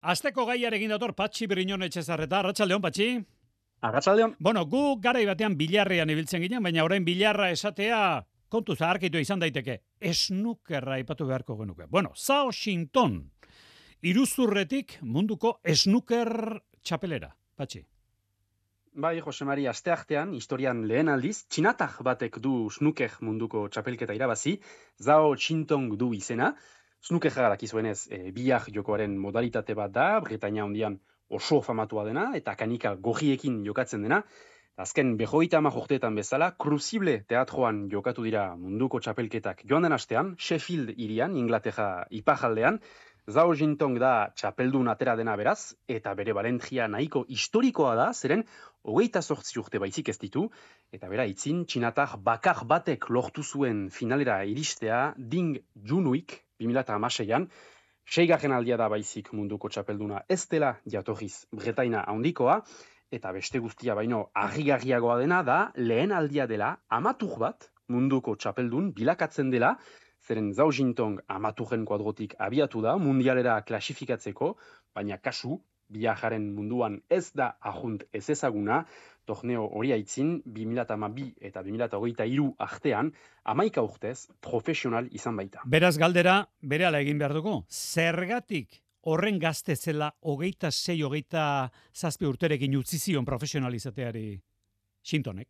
Asteko gaiarekin dator Patxi Briñon Etxezarreta. Arratsaldeon, Patxi. Arratsaldeon. Bueno, gu garai batean bilarrean ibiltzen ginen, baina orain bilarra esatea kontu zaharkitu izan daiteke. Snookerra aipatu beharko genuke. Bueno, Washington, iruzurretik munduko snooker txapelera. Patxi. Bai, Jose Mari, asteartean, historian lehen aldiz, txinatar batek du snooker munduko txapelketa irabazi, Zhao Qintong du izena. Snookerra dakizuenez, bihar jokoaren modalitate bat da, Britainia Handian oso famatua dena, eta kanika gorriekin jokatzen dena. Azken 50 urteetan bezala, Crucible teatroan jokatu dira munduko txapelketak joan den astean, Sheffield hirian, Inglaterra iparraldean. Zhao Qintong da txapeldun atera dena beraz, eta bere balentzia nahiko historikoa da, zeren 28 urte baizik ez ditu, eta bera itzin, txinatar bakar batek lortu zuen finalera iristea Ding Junhuik 2016an, 6. aldia da baizik munduko txapelduna ez dela jatorriz Bretaina handikoa, eta beste guztia baino harrigarriagoa dena da lehen aldia dela amatur bat munduko txapeldun bilakatzen dela, zeren Zhao Qintong amaturren kuadrotik abiatu da mundialera klasifikatzeko, baina kasu, biajaren munduan ez da ajunt ez ezaguna, torneo hori aitzin 2012 eta 2023 artean, 11 urtez profesional izan baita. Beraz galdera, berehala egin behar dugu. Zergatik horren gazte zela 26-27 urterekin utzi zion profesionalizateari Qintonek?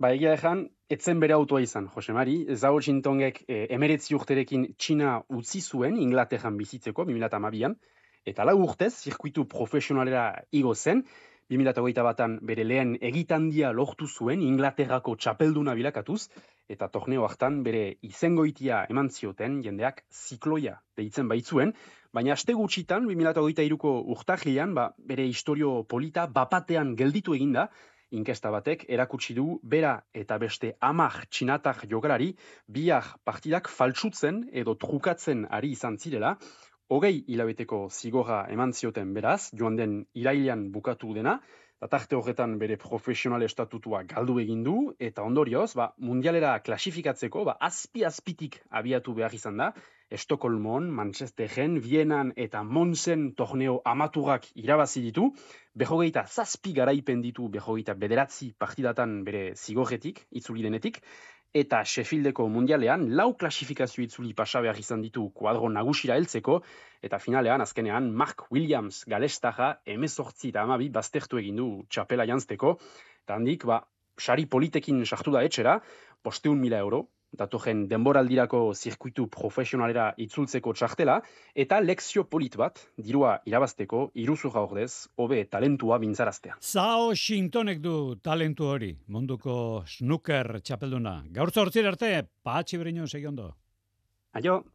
Ba, egia ezan, etzen bere autoa izan, Jose Mari. Zhao Qintongek 19 urterekin Txina utzi zuen Inglaterran bizitzeko 2012an, eta 4 urtez zirkuitu profesionalera igo zen, 2021an bere lehen egitandia lortu zuen Inglaterrako txapelduna bilakatuz, eta torneo hartan bere izengoitia eman zioten jendeak zikloia deitzen baitzuen, baina aste gutxitan 2023ko urtarrilean bere historio polita bapatean gelditu eginda, inkesta batek erakutsi du bera eta beste 10 txinatar jokalari biak partidak faltsutzen edo trukatzen ari izan zirela, 20 hilabeteko zigorra eman zioten beraz, joan den irailean bukatu dena, eta tarte horretan bere profesional estatutua galdu egin du, eta ondorioz, mundialera klasifikatzeko, azpi-azpitik abiatu behar izan da, Estokolmon, Manchesteren, Vienan eta Monsen torneo amaturak irabazi ditu, 27 garaipen ditu 29 partidatan bere zigorretik, itzuli denetik, eta Sheffieldeko mundialean 4 klasifikazio itzuli pasa behar izan ditu kuadro nagusira heltzeko, eta finalean, azkenean, Mark Williams galestarra 18 eta 12 baztertu egin du txapela janzteko, eta handik, sari politekin sartu da etxera, 500.000 euro, datorren denboraldirako zirkuitu profesionalera itzultzeko txartela, eta lekzio polit bat, dirua irabazteko, iruzurra ordez, hobe talentua bintzaraztea. Zhao Qintonek du talentu hori, munduko snooker txapelduna. Gaur 8 arte, Patxi Briñon, segi ondo. Aio!